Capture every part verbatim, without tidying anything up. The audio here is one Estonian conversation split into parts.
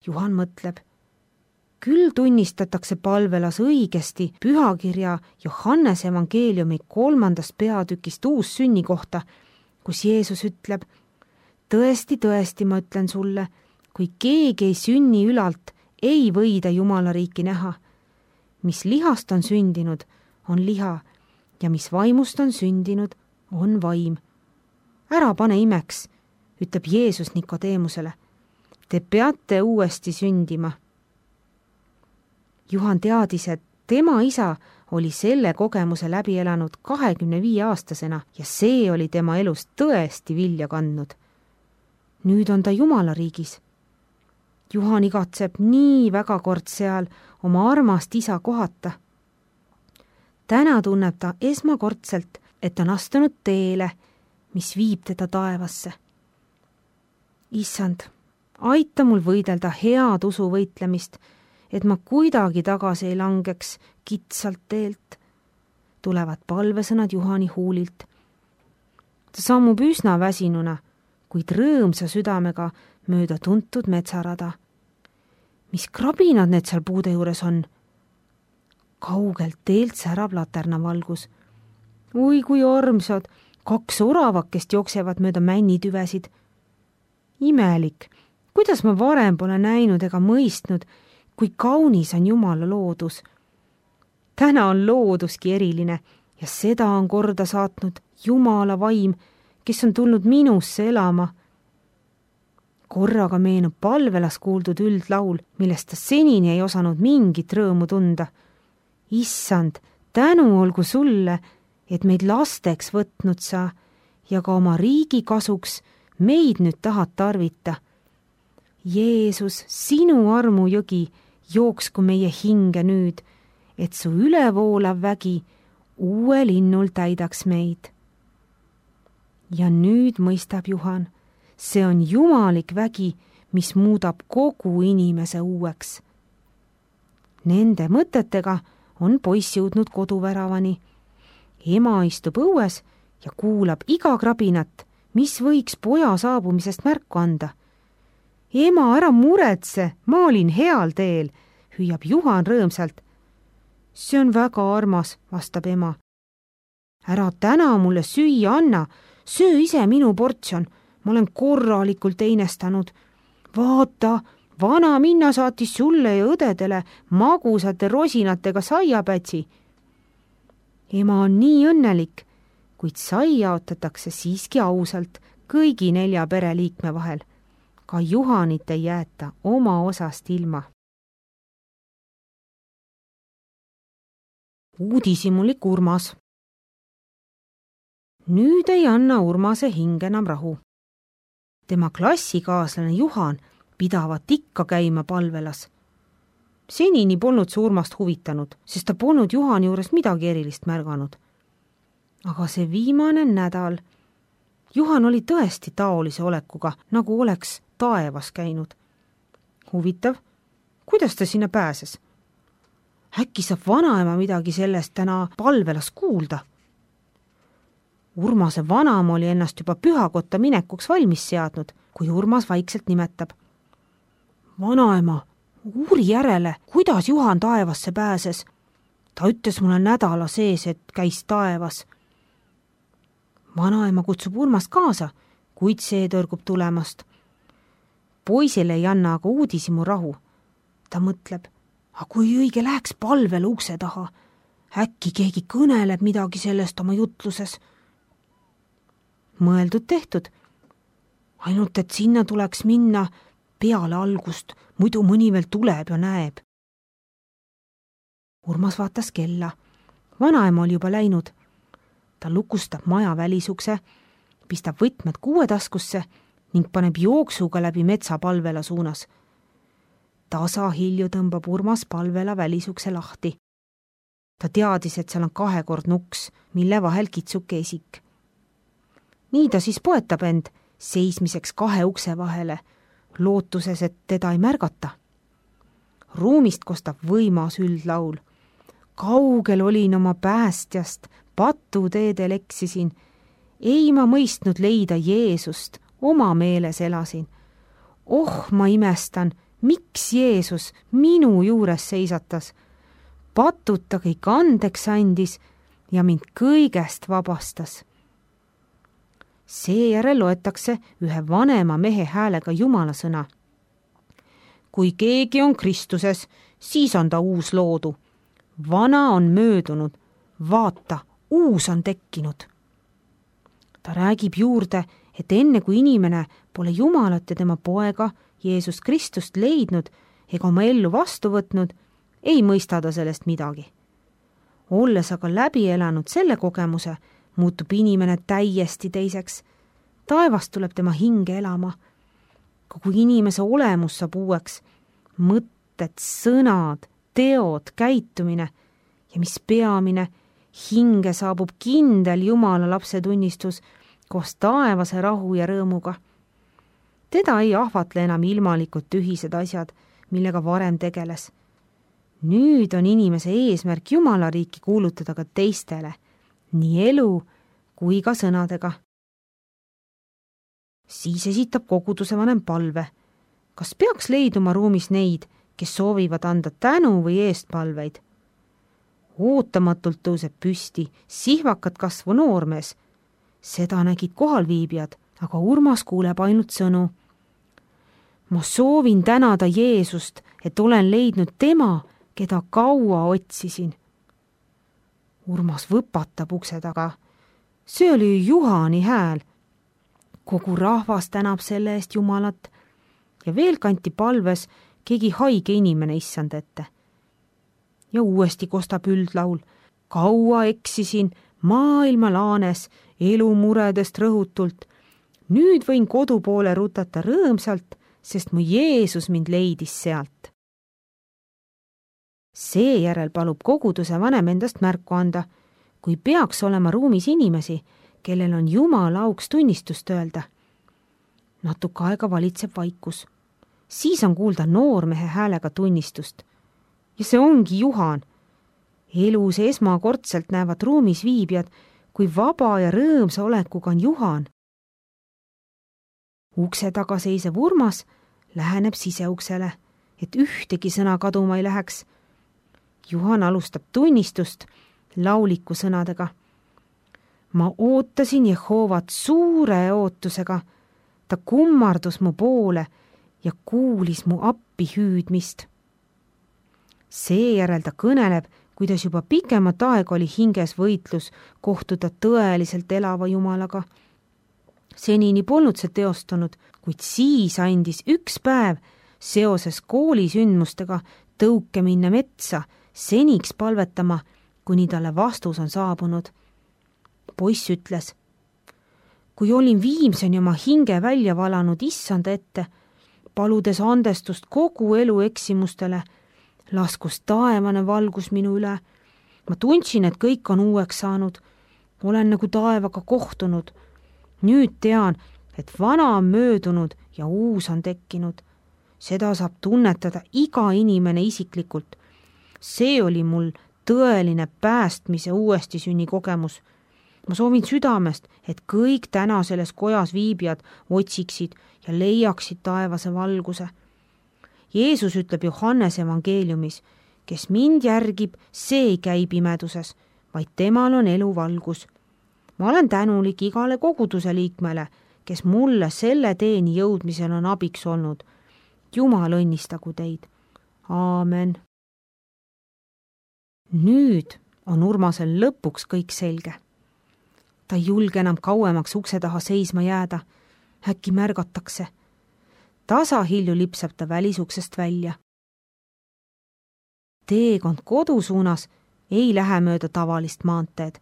Juhan mõtleb, küll tunnistatakse palvelas õigesti pühakirja Johannese evangeeliumi kolmandast peatükist uussünni kohta, kus Jeesus ütleb, tõesti, tõesti, ma ütlen sulle, kui keegi ei sünni ülalt, ei või ta Jumala riiki näha. Mis lihast on sündinud, on liha ja mis vaimust on sündinud, on vaim. Ära pane imeks, ütleb Jeesus Nikodeemusele. Te peate uuesti sündima. Juhan teadis, et tema isa oli selle kogemuse läbi elanud kahekümne viie aastasena ja see oli tema elus tõesti vilja kandnud. Nüüd on ta Jumala riigis. Juhan igatseb nii väga kord seal oma armast isa kohata. Täna tunneb ta esmakordselt, et on astunud teele, mis viib teda taevasse. Issand, aita mul võidelda head usu võitlemist, et ma kuidagi tagasi ei langeks kitsalt teelt, tulevad palvesõnad Juhani huulilt. Ta sammub üsna väsinuna, kuid rõõmsa südamega mööda tuntud metsarada. Mis krabinad need seal puude juures on? Kaugelt teelt särab laternavalgus. Ui, kui armsad, kaks oravakest jooksevad mööda männitüvesid. Imelik, kuidas ma varem pole näinud ega mõistnud, kui kaunis on Jumala loodus. Täna on looduski eriline ja seda on korda saatnud Jumala vaim, kes on tulnud minusse elama. Korraga meenub palvelas kuuldud üldlaul, millest ta senini ei osanud mingit rõõmu tunda. Issand, tänu olgu sulle, et meid lasteks võtnud sa ja ka oma riigi kasuks meid nüüd tahad tarvita. Jeesus, sinu armu jõgi jooksku meie hinge nüüd, et su ülevoolav vägi uue linnul täidaks meid. Ja nüüd mõistab Juhan, see on jumalik vägi, mis muudab kogu inimese uueks. Nende mõtetega on poiss jõudnud koduväravani. Ema istub õues ja kuulab iga krabinat, mis võiks poja saabumisest märku anda. Ema, ära muretse, ma olin heal teel, hüüab Juhan rõõmsalt. See on väga armas, vastab ema. Ära täna mulle süüa anna, söö ise minu portsjon, ma olen korralikult einestanud. Vaata, vana minna saatis sulle ja õdedele magusate rosinatega saiapätsi. Ema on nii õnnelik, kuid sai jaotatakse siiski ausalt kõigi nelja pereliikme vahel. Ka Juhanit ei jäeta oma osast ilma. Uudishimulik Urmas. Nüüd ei anna Urmase hing enam rahu. Tema klassikaaslane Juhan pidavat ikka käima palvelas. Senini polnud see Urmast huvitanud, sest ta polnud Juhani juures midagi erilist märganud. Aga see viimane nädal Juhan oli tõesti taolise olekuga, nagu oleks taevas käinud. Huvitav, kuidas ta sinna pääses? Äkki saab vanaema midagi sellest täna palvelas kuulda? Urmase vanaema oli ennast juba pühakotta minekuks valmis seadnud, kui Urmas vaikselt nimetab. Vanaema, uuri järele, kuidas Juhan taevasse pääses. Ta ütles mulle nädala sees, et käis taevas. Vanaema kutsub Urmast kaasa, kuid see tõrgub tulemast. Poisile ei anna aga uudishimu rahu. Ta mõtleb, aga kui õige läheks palvele ukse taha, äkki keegi kõneleb midagi sellest oma jutluses. Mõeldud tehtud. Ainult, et sinna tuleks minna peale algust, muidu mõni veel tuleb ja näeb. Urmas vaatas kella. Vanaema oli juba läinud. Ta lukustab maja välisukse, pistab võtmed kuuetaskusse ning paneb jooksuga läbi metsa palvela suunas. Tasa hilju tõmbab Urmas palvela välisukse lahti. Ta teadis, et seal on kahekord nuks, mille vahel kitsuke esik. Nii ta siis poetab end seismiseks kahe ukse vahele, lootuses, et teda ei märgata. Ruumist kostab võimas üldlaul. Kaugel olin oma päästjast, patuteedel eksisin. Ei ma mõistnud leida Jeesust, oma meeles elasin. Oh, ma imestan, miks Jeesus minu juures seisatas, patuta kõik andeks andis ja mind kõigest vabastas. Seejärel loetakse ühe vanema mehe häälega Jumala sõna. Kui keegi on Kristuses, siis on ta uus loodu. Vana on möödunud, vaata, uus on tekkinud. Ta räägib juurde, et enne kui inimene pole Jumalat ja tema poega Jeesus Kristust leidnud ega oma ellu vastu võtnud, ei mõista ta sellest midagi. Olles aga läbi elanud selle kogemuse, muutub inimene täiesti teiseks. Taevast tuleb tema hinge elama. Kogu inimese olemus saab uueks. Mõtted, sõnad, teod, käitumine ja mis peamine, hinge saabub kindel Jumala lapse tunnistus koos taevase rahu ja rõõmuga. Teda ei ahvatle enam ilmalikud tühised asjad, millega varem tegeles. Nüüd on inimese eesmärk Jumala riiki kuulutada ka teistele, nii elu kui ka sõnadega. Siis esitab koguduse vanem palve. Kas peaks leiduma ruumis neid, kes soovivad anda tänu või eestpalveid? Ootamatult tõuseb püsti sihvakat kasvu noormees. Seda nägid kohalviibijad, aga Urmas kuuleb ainult sõnu. Ma soovin tänada Jeesust, et olen leidnud tema, keda kaua otsisin. Urmas võpatab ukse taga. See oli Juhani hääl. Kogu rahvas tänab selle eest Jumalat ja veel kanti palves keegi haige inimene issand ette. Ja uuesti kostab üldlaul. Kaua eksisin maailma laanes elumuredest rõhutult. Nüüd võin kodu poole rutata rõõmsalt, sest mu Jeesus mind leidis sealt. Seejärel palub koguduse vanem endast märku anda, kui peaks olema ruumis inimesi, kellel on Jumala auks tunnistust öelda. Natuke aega valitseb vaikus. Siis on kuulda noormehe häälega tunnistust. Ja see ongi Juhan. Elus esmakordselt näevad ruumis viibijad, kui vaba ja rõõmsa olekuga on Juhan. Ukse taga seisev Urmas läheneb siseuksele, et ühtegi sõna kaduma ei läheks. Juhan alustab tunnistust lauliku sõnadega. Ma ootasin Jehoovat suure ootusega. Ta kummardus mu poole ja kuulis mu appi hüüdmist. Seejärel ta kõneleb, kuidas juba pikemat aega oli hinges võitlus kohtuda tõeliselt elava Jumalaga. Senini polnud see teostunud, kuid siis andis üks päev seoses koolisündmustega tõuke minna metsa seniks palvetama, kuni talle vastus on saabunud. Poiss ütles, kui olin viimseni oma hinge välja valanud issanda ette, paludes andestust kogu elu eksimustele, laskus taevane valgus minu üle. Ma tundsin, et kõik on uueks saanud. Olen nagu taevaga kohtunud. Nüüd tean, et vana on möödunud ja uus on tekkinud. Seda saab tunnetada iga inimene isiklikult. See oli mul tõeline päästmise uuesti sünni kogemus. Ma soovin südamest, et kõik täna selles kojas viibijad otsiksid ja leiaksid taevase valguse. Jeesus ütleb Johannese evangeeliumis, kes mind järgib, see ei käi pimeduses, vaid temal on elu valgus. Ma olen tänulik igale koguduse liikmele, kes mulle selle teeni jõudmisel on abiks olnud. Jumal õnnistagu teid. Aamen. Nüüd on Urmasel lõpuks kõik selge. Ta ei julge enam kauemaks ukse taha seisma jääda. Äkki märgatakse. Tasahilju lipsab ta välisuksest välja. Teekond kodu suunas ei lähe mööda tavalist maanteed.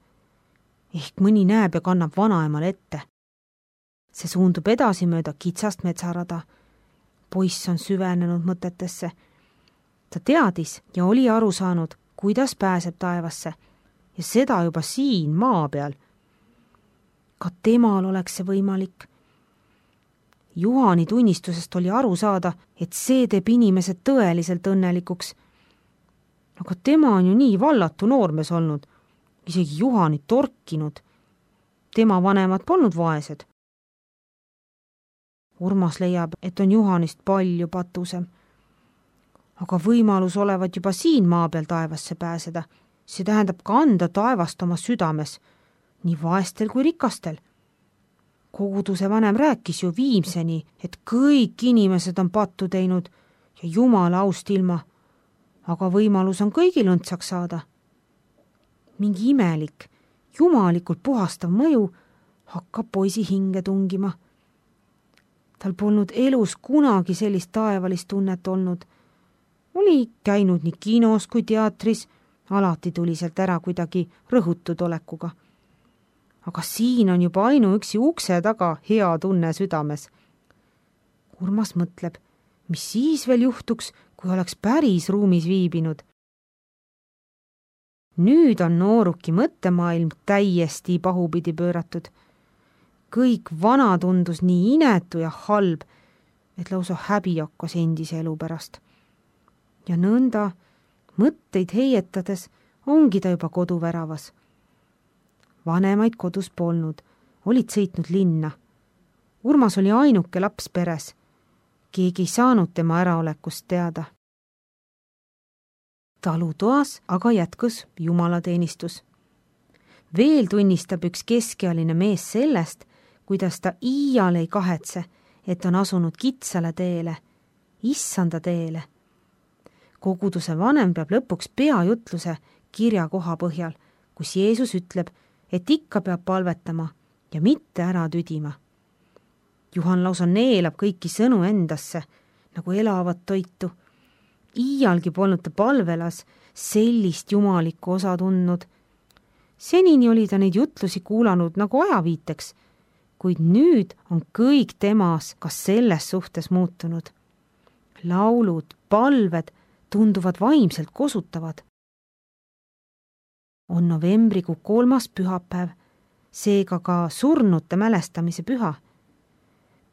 Ehk mõni näeb ja kannab vanaemal ette. See suundub edasi mööda kitsast metsarada. Poiss on süvenenud mõtetesse. Ta teadis ja oli aru saanud, kuidas pääseb taevasse ja seda juba siin maa peal. Ka temal oleks see võimalik. Juhani tunnistusest oli aru saada, et see teeb inimesed tõeliselt õnnelikuks. Aga tema on ju nii vallatu noormees olnud, isegi Juhanit torkinud. Tema vanemad polnud vaesed. Urmas leiab, et on Juhanist palju patusem. aga võimalus olevat juba siin maa peal taevasse pääseda. See tähendab kanda taevast oma südames, nii vaestel kui rikastel. Koguduse vanem rääkis ju viimseni, et kõik inimesed on pattu teinud ja Jumala aust ilma, aga võimalus on kõigil õndsaks saada. Mingi imelik, jumalikult puhastav mõju hakkab poisi hinge tungima. Tal polnud elus kunagi sellist taevalist tunnet olnud. Oli käinud nii kinos kui teatris, alati tuli sealt ära kuidagi rõhutud olekuga. Aga siin on juba ainuüksi ukse taga hea tunne südames. Urmas mõtleb, mis siis veel juhtuks, kui oleks päris ruumis viibinud. Nüüd on nooruki mõttemaailm täiesti pahupidi pööratud. Kõik vana tundus nii inetu ja halb, et lausa häbi hakkas endise elu pärast. Ja nõnda, mõtteid heietades, ongi ta juba koduväravas. Vanemaid kodus polnud, olid sõitnud linna. Urmas oli ainuke laps peres. Keegi ei saanud tema äraolekust teada. Talutoas aga jätkus jumalateenistus. Veel tunnistab üks keskealine mees sellest, kuidas ta iial ei kahetse, et on asunud kitsale teele, issanda teele. Koguduse vanem peab lõpuks peajutluse kirja koha põhjal, kus Jeesus ütleb, et ikka peab palvetama ja mitte ära tüdima. Juhan lausa neelab kõiki sõnu endasse, nagu elavat toitu. Iialgi polnud ta palvelas sellist jumalikku osa tundnud. Senini oli ta neid jutlusi kuulanud nagu ajaviiteks, kuid nüüd on kõik temas ka selles suhtes muutunud. Laulud, palved tunduvad vaimselt kosutavad. On novembrikuu kolmas pühapäev, seega ka surnute mälestamise püha.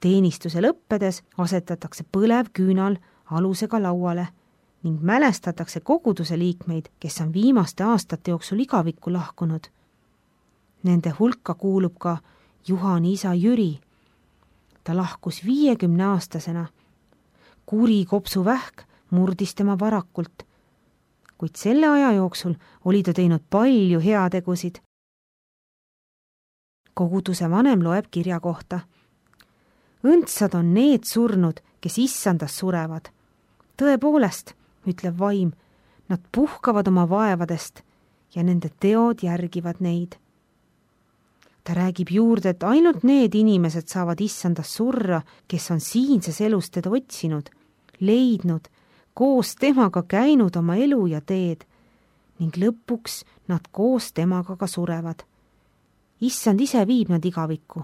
Teenistuse lõppedes asetatakse põlev küünal alusega lauale ning mälestatakse koguduse liikmeid, kes on viimaste aastate jooksul igavikku lahkunud. Nende hulka kuulub ka Juhani isa Jüri. Ta lahkus viiekümne aastasena. Kuri kopsuvähk murdis tema varakult, kuid selle aja jooksul oli ta teinud palju heategusid. Koguduse vanem loeb kirja kohta. Õndsad on need surnud, kes issandas surevad. Tõepoolest, ütleb vaim, nad puhkavad oma vaevadest ja nende teod järgivad neid. Ta räägib juurde, et ainult need inimesed saavad issandas surra, kes on siinses elus teda otsinud, leidnud, koos temaga käinud oma elu ja teed ning lõpuks nad koos temaga ka surevad. Issand ise viib nad igavikku.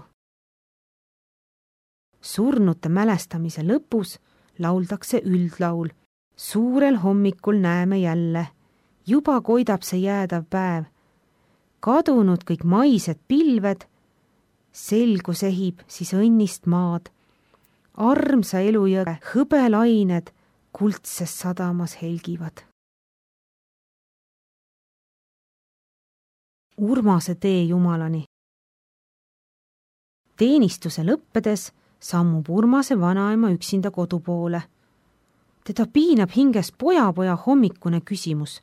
Surnute mälestamise lõpus lauldakse üldlaul. Suurel hommikul näeme jälle, juba koidab see jäädav päev. Kadunud kõik maised pilved, selgus ehib siis õnnist maad. Armsa elujõe hõbelained kuldses sadamas helgivad. Urmase tee Jumalani. Teenistuse lõppedes sammub Urmase vanaema üksinda kodu poole. Teda piinab hinges poja-poja hommikune küsimus.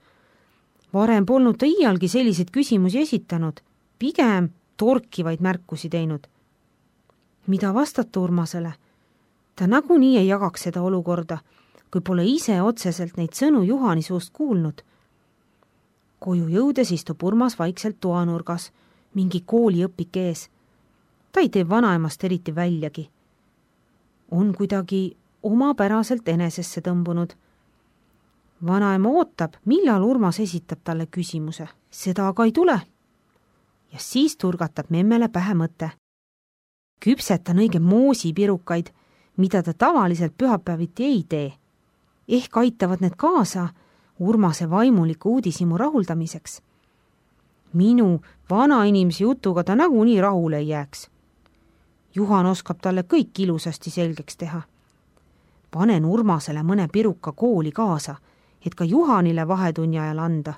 Varem polnud ta iialgi selliseid küsimusi esitanud, pigem torkivaid märkusi teinud. Mida vastata Urmasele? Ta nagunii ei jagaks seda olukorda, kui pole ise otseselt neid sõnu Juhani suust kuulnud. Koju jõudes istub Urmas vaikselt toanurgas, mingi kooliõpik ees. Ta ei tee vanaemast eriti väljagi. On kuidagi omapäraselt enesesse tõmbunud. Vanaema ootab, millal Urmas esitab talle küsimuse. Seda aga ei tule. Ja siis turgatab memmele pähe mõte. Küpsetan õige moosipirukaid, mida ta tavaliselt pühapäeviti ei tee. Ehk aitavad need kaasa Urmase vaimuliku uudishimu rahuldamiseks. Minu vana inimese jutuga ta nagunii rahule ei jääks. Juhan oskab talle kõik ilusasti selgeks teha. Panen Urmasele mõne piruka kooli kaasa, et ka Juhanile vahetunni ajal anda.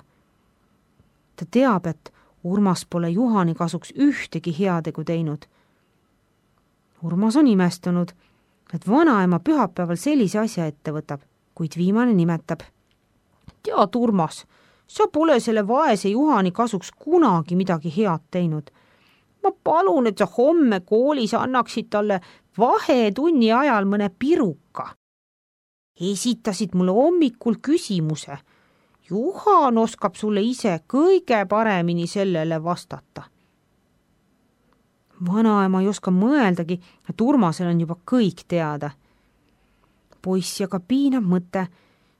Ta teab, et Urmas pole Juhani kasuks ühtegi heategu teinud. Urmas on imestunud, et vanaema pühapäeval sellise asja ette võtab. kuid viimane nimetab. Tead, Urmas, sa pole selle vaese Juhani kasuks kunagi midagi head teinud. Ma palun, et sa homme koolis annaksid talle vahetunni ajal mõne piruka. Esitasid mulle hommikul küsimuse. Juhan oskab sulle ise kõige paremini sellele vastata. Vanaema ei oska mõeldagi, et Urmasel on juba kõik teada. Poiss aga piinab mõte,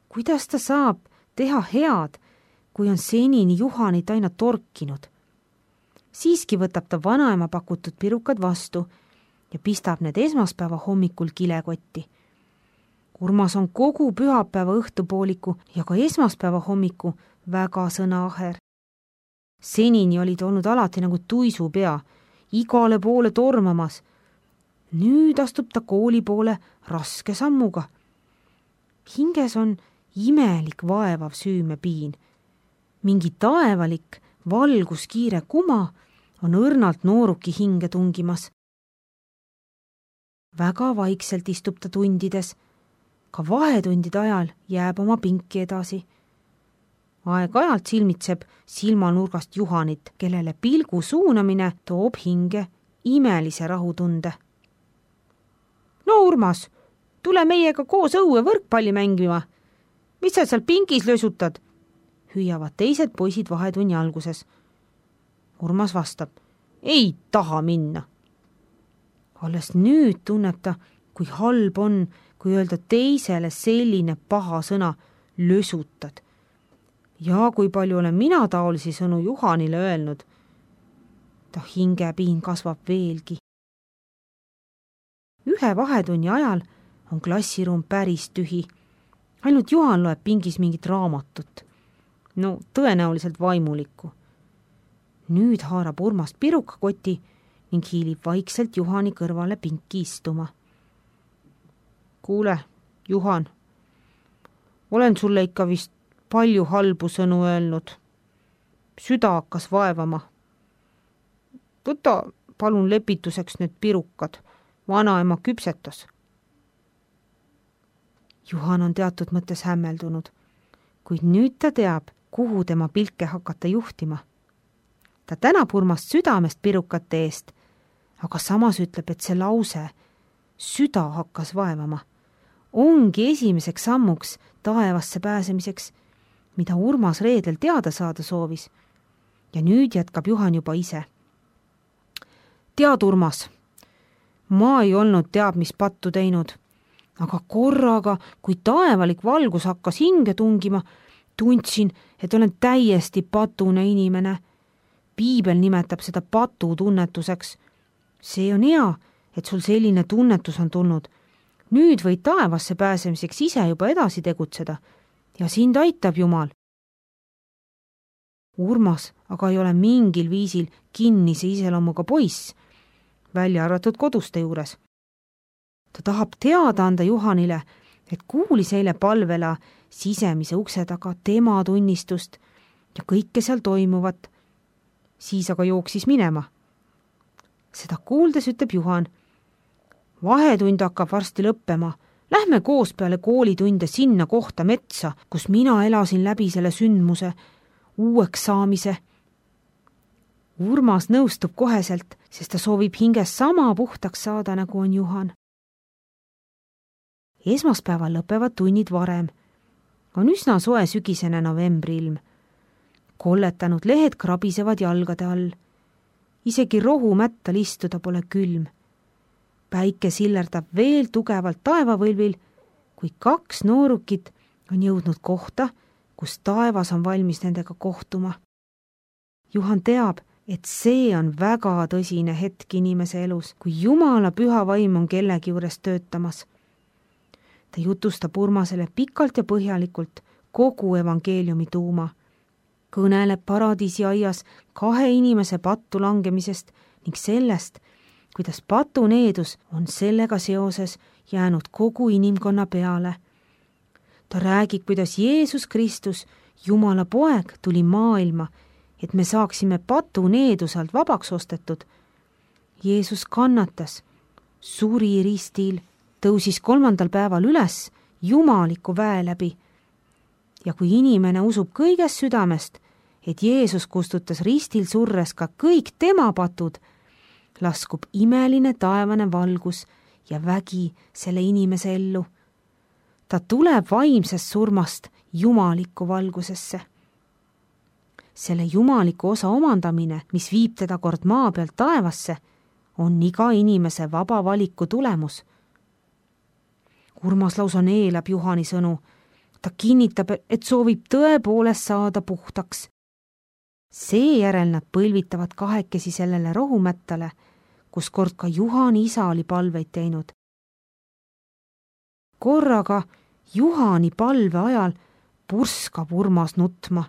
kuidas ta saab teha head, kui on senini Juhanit aina torkinud. Siiski võtab ta vanaema pakutud pirukad vastu ja pistab need esmaspäeva hommikul kilekotti. Urmas on kogu pühapäeva õhtupooliku ja ka esmaspäeva hommiku väga sõnaaher. Senini olid olnud alati nagu tuisupea, igale poole tormamas. Nüüd astub ta kooli poole raske sammuga. Hinges on imelik vaevav süümepiin. Mingi taevalik, valguskiire kuma on õrnalt nooruki hinge tungimas. Väga vaikselt istub ta tundides. Ka vahetundide ajal jääb oma pinki edasi. Aeg-ajalt silmitseb silmanurgast Juhanit, kellele pilgu suunamine toob hinge imelise rahutunde. No Urmas, tule meiega koos õue võrkpalli mängima. Mis sa seal pingis lösutad? Hüüavad teised poisid vahetunni alguses. Urmas vastab, ei taha minna. Alles nüüd tunneb ta, kui halb on, kui öelda teisele selline paha sõna lösutad. Ja kui palju olen mina taolisi sõnu Juhanile öelnud. Ta hingepiin kasvab veelgi. Ühe vahetunni ajal on klassiruum päris tühi. Ainult Juhan loeb pingis mingit raamatut. No tõenäoliselt vaimulikku. Nüüd haarab Urmas pirukakoti ning hiilib vaikselt Juhani kõrvale pinki istuma. Kuule, Juhan, olen sulle ikka vist palju halbu sõnu öelnud. Süda hakkas vaevama. Võta palun lepituseks need pirukad. Vanaema küpsetas. Juhan on teatud mõttes hämmeldunud, kuid nüüd ta teab, kuhu tema pilke hakata juhtima. Ta tänab Urmast südamest pirukate eest, aga samas ütleb, et see lause, süda hakkas vaevama, ongi esimeseks sammuks taevasse pääsemiseks, mida Urmas reedel teada saada soovis. Ja nüüd jätkab Juhan juba ise. Tead, Urmas, ma ei olnud teab, mis pattu teinud, aga korraga, kui taevalik valgus hakkas hinge tungima, tundsin, et olen täiesti patune inimene. Piibel nimetab seda patu tunnetuseks. See on hea, et sul selline tunnetus on tulnud. Nüüd võid taevasse pääsemiseks ise juba edasi tegutseda ja sind aitab Jumal. Urmas aga ei ole mingil viisil kinnise iseloomuga poiss, välja arvatud koduste juures. Ta tahab teada anda Juhanile, et kuulis eile palvela sisemise ukse taga tema tunnistust ja kõike seal toimuvat. Siis aga jooksis minema. Seda kuuldes ütleb Juhan, vahetund hakkab varsti lõppema. Lähme koos peale koolitunde sinna kohta metsa, kus mina elasin läbi selle sündmuse, uueks saamise. Urmas nõustub koheselt, sest ta soovib hinges sama puhtaks saada, nagu on Juhan. Esmaspäeval lõpevad tunnid varem. On üsna soe sügisene novembri ilm. Kolletanud lehed krabisevad jalgade all. Isegi rohumättal istuda pole külm. Päike sillerdab veel tugevalt taevavõlvil, kui kaks noorukit on jõudnud kohta, kus taevas on valmis nendega kohtuma. Juhan teab, et see on väga tõsine hetk inimese elus, kui Jumala püha vaim on kellegi juures töötamas. Ta jutustab Urmasele pikalt ja põhjalikult kogu evangeeliumi tuuma. Kõneleb paradiisi aias kahe inimese pattu langemisest ning sellest, kuidas patuneedus on sellega seoses jäänud kogu inimkonna peale. Ta räägib, kuidas Jeesus Kristus, Jumala poeg, tuli maailma, et me saaksime patuneedusalt vabaks ostetud. Jeesus kannatas, suri ristil, tõusis kolmandal päeval üles jumaliku väe läbi. Ja kui inimene usub kõigest südamest, et Jeesus kustutas ristil surres ka kõik tema patud, laskub imeline taevane valgus ja vägi selle inimese ellu. Ta tuleb vaimsest surmast jumalikku valgusesse. Selle jumaliku osa omandamine, mis viib teda kord maa pealt taevasse, on iga inimese vaba valiku tulemus. Urmas lausa neelab Juhani sõnu. Ta kinnitab, et soovib tõepoolest saada puhtaks. Seejärel nad põlvitavad kahekesi sellele rohumättale, kus kord ka Juhani isa oli palveid teinud. Korraga Juhani palve ajal purskab Urmas nutma.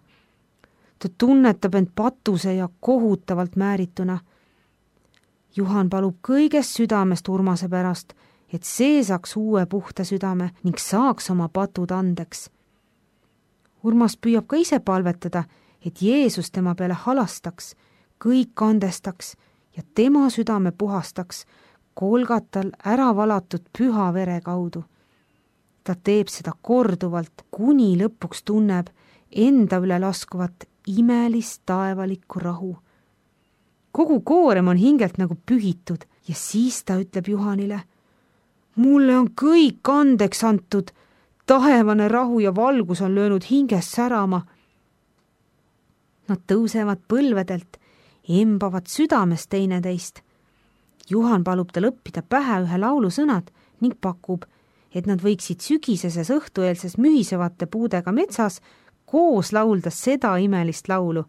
Ta tunnetab end patuse ja kohutavalt määrituna. Juhan palub kõigest südamest Urmase pärast, et see saaks uue puhta südame ning saaks oma patud andeks. Urmas püüab ka ise palvetada, et Jeesus tema peale halastaks, kõik andestaks ja tema südame puhastaks Golgatal ära valatud püha vere kaudu. Ta teeb seda korduvalt, kuni lõpuks tunneb enda üle laskuvat imelist taevalikku rahu. Kogu koorem on hingelt nagu pühitud ja siis ta ütleb Juhanile: mulle on kõik andeks antud, taevane rahu ja valgus on löönud hingest särama. Nad tõusevad põlvedelt, embavad südamest teineteist. Juhan palub tal õppida pähe ühe laulu sõnad ning pakub, et nad võiksid sügiseses õhtueelses mühisevate puudega metsas koos laulda seda imelist laulu.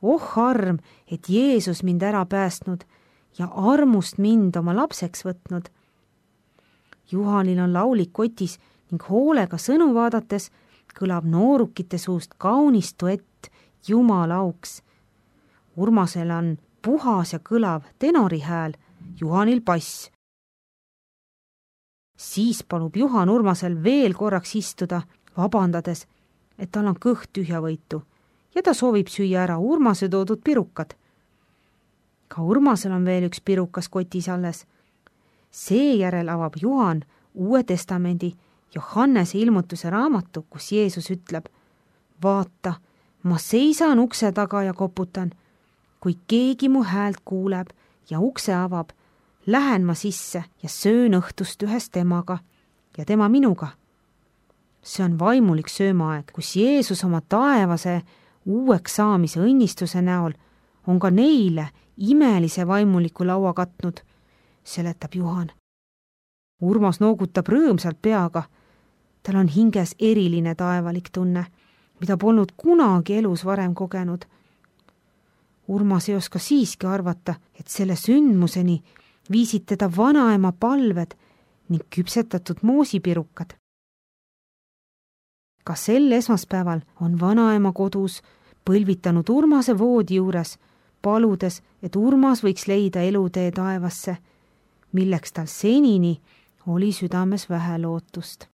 Oh arm, et Jeesus mind ära päästnud ja armust mind oma lapseks võtnud. Juhanil on laulik kotis ning hoolega sõnu vaadates kõlab noorukite suust kaunis duett Jumala auks. Urmasel on puhas ja kõlav tenori hääl, Juhanil bass. Siis palub Juhan Urmasel veel korraks istuda, vabandades, et tal on kõht tühjavõitu ja ta soovib süüa ära Urmase toodud pirukad. Ka Urmasel on veel üks pirukas kotis alles. Seejärel avab Juhan Uue Testamendi Johannese ilmutuse raamatu, kus Jeesus ütleb: vaata, ma seisan ukse taga ja koputan. Kui keegi mu häält kuuleb ja ukse avab, lähen ma sisse ja söön õhtust ühes temaga ja tema minuga. See on vaimulik söömaaeg, kus Jeesus oma taevase uueks saamise õnnistuse näol on ka neile imelise vaimuliku laua katnud, seletab Juhan. Urmas noogutab rõõmsalt peaga. Tal on hinges eriline taevalik tunne, mida polnud kunagi elus varem kogenud. Urmas ei oska siiski arvata, et selle sündmuseni viisid teda vanaema palved ning küpsetatud moosipirukad. Ka sel esmaspäeval on vanaema kodus põlvitanud Urmase voodi juures, paludes, et Urmas võiks leida elutee taevasse, milleks tal senini oli südames vähe lootust.